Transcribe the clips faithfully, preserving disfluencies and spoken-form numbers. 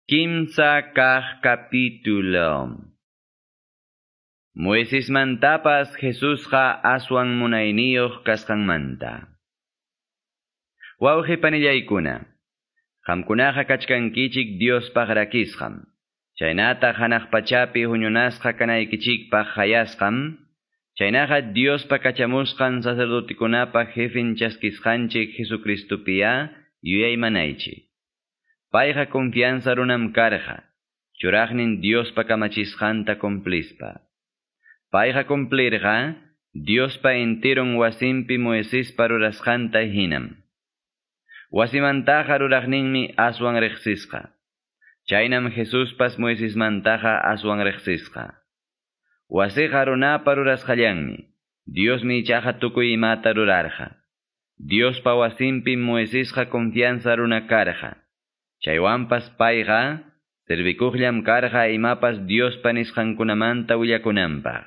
Kimsa kaq capítulo. Moisesmantapas Jesusqa aswan munayniyuq kasqanmanta. Wawqi panillaykuna, qamkunaqa kachkankichik Diospaq rakisqam. Chaynata hanaq pachapi huñunasqa kanaykichikpaq hayasqam, chaynaqa Diospa kachamusqan sacerdotikunapa jefin chaskisqanchik Jesucristupiya yuyaymanaychik. Payqa confianza runam karqa, churaqnin Diospa kamachisqanta cumplispa. Payqa cumplirqa, Diospa enteron wasinpi Moisespa rurasqanta hinam. Wasimantaqa ruraqninmi aswan riqsisqa. Chaynam Jesuspas Moisesmantaqa aswan riqsisqa. Wasiqa runapa rurasqallanmi, Diosmi ichaqa tukuy imata rurarqa. Diospa wasinpi Moisesqa confianza runa karqa. Chaywanpas payqa servikuqllam karqa imapas Diospa nisqankunamanta willakunanpaq.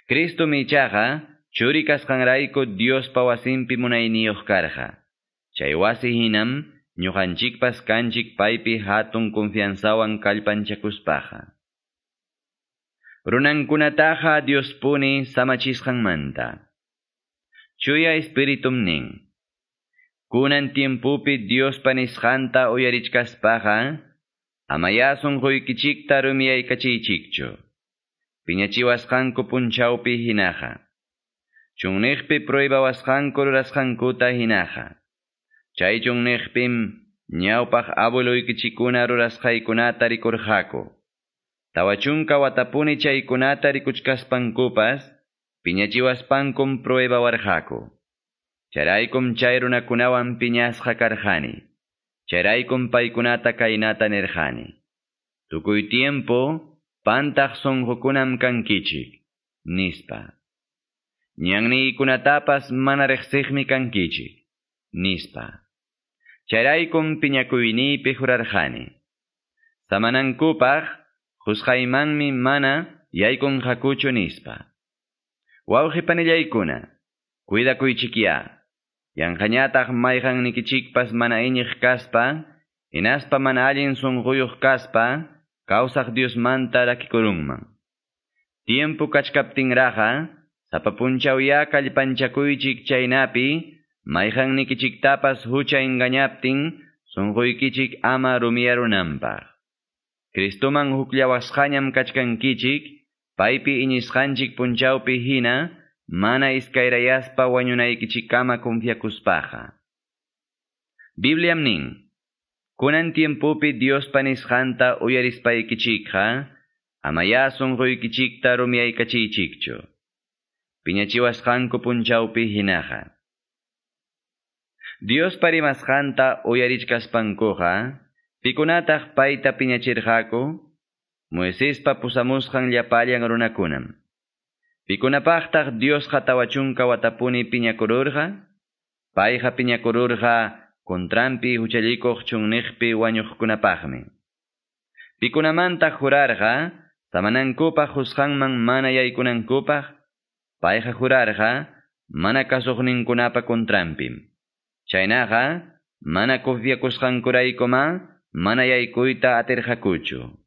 Cristomi ichaqa churi kasqanrayku Diospa wasinpi munayniyuq karqa. Chay wasi hinam ñuqanchikpas kanchik paypi hatun confianzawan kallpanchakuspaqa. Runankunataqa Diospuni samachisqanmanta. Chuya Espiritum nin. Kunan tiempupi Diospa nisqanta uyarichkaspaqa, amaya sunquykichikta rumiyaykachiychikchu. Piñachiwasqanku punchawpi hinaqa. Chunniqpi pruebawasqanku rurasqankuta hinaqa. Chay chunniqpim ñawpaq abueluykichikuna rurasqaykunata rikurqaku. Tawa chunka watapuni chaykunata rikuchkaspankupas, piñachiwaspankum pruebawarqaku. Chayraykum chay runakunawan piñasqa karqani. Chayraykum paykunata kaynata nirqani. Tukuy tiempo pantaq sunqukunam kankichik, nispa. Ñanniykunatapas mana riqsiqmi kankichik, nispa. Chayraykum piñakuyniypi jurarqani. Samanankupaq qusqaymanmi mana yaykunqakuchu, nispa. Wawqi panillaykuna, cuidakuychikya. Yanqañataq mayqannikichikpas mana iñiq kaspa, hinaspa mana allin sunquyuq kaspa, kawsaq Diosmanta rakikurunman. Tiempo kachkaptinraqa, sapa punchawya kallpanchakuychik chaynapi, mayqannikichiktapas hucha engañaptin, sunquykichik ama rumiyarunanpaq. Cristoman hukllawasqañam kachkankichik, paypi iñisqanchik punchawpi hina, mana iskayrayaspa wañunaykichikkama confiakuspaqa. Bibliam nin, kunan tiempupi Diospa nisqanta uyarispaykichikqa, amaya sunquykichikta rumiyaykachiychikchu. Piñachiwasqanku punchawpi hinaqa. Diospa rimasqanta uyarichkaspankuqa, pikunataq payta piñachirqaku? Moisespa pusamusqan llapallan runakunam. Pikunapaqtaq Diosqa tawa chunka watapuni piñakururqa? Payqa piñakururqa contranpi huchallikuq chunniqpi wañuqkunapaqmi. Pikunamantaq jurarqa samanankupaq qusqanman mana yaykunankupaq? Payqa jurarqa mana kasuqninkunapa contranpim. Chaynaqa mana confiakusqankuraykuma mana yaykuyta atirqakuchu.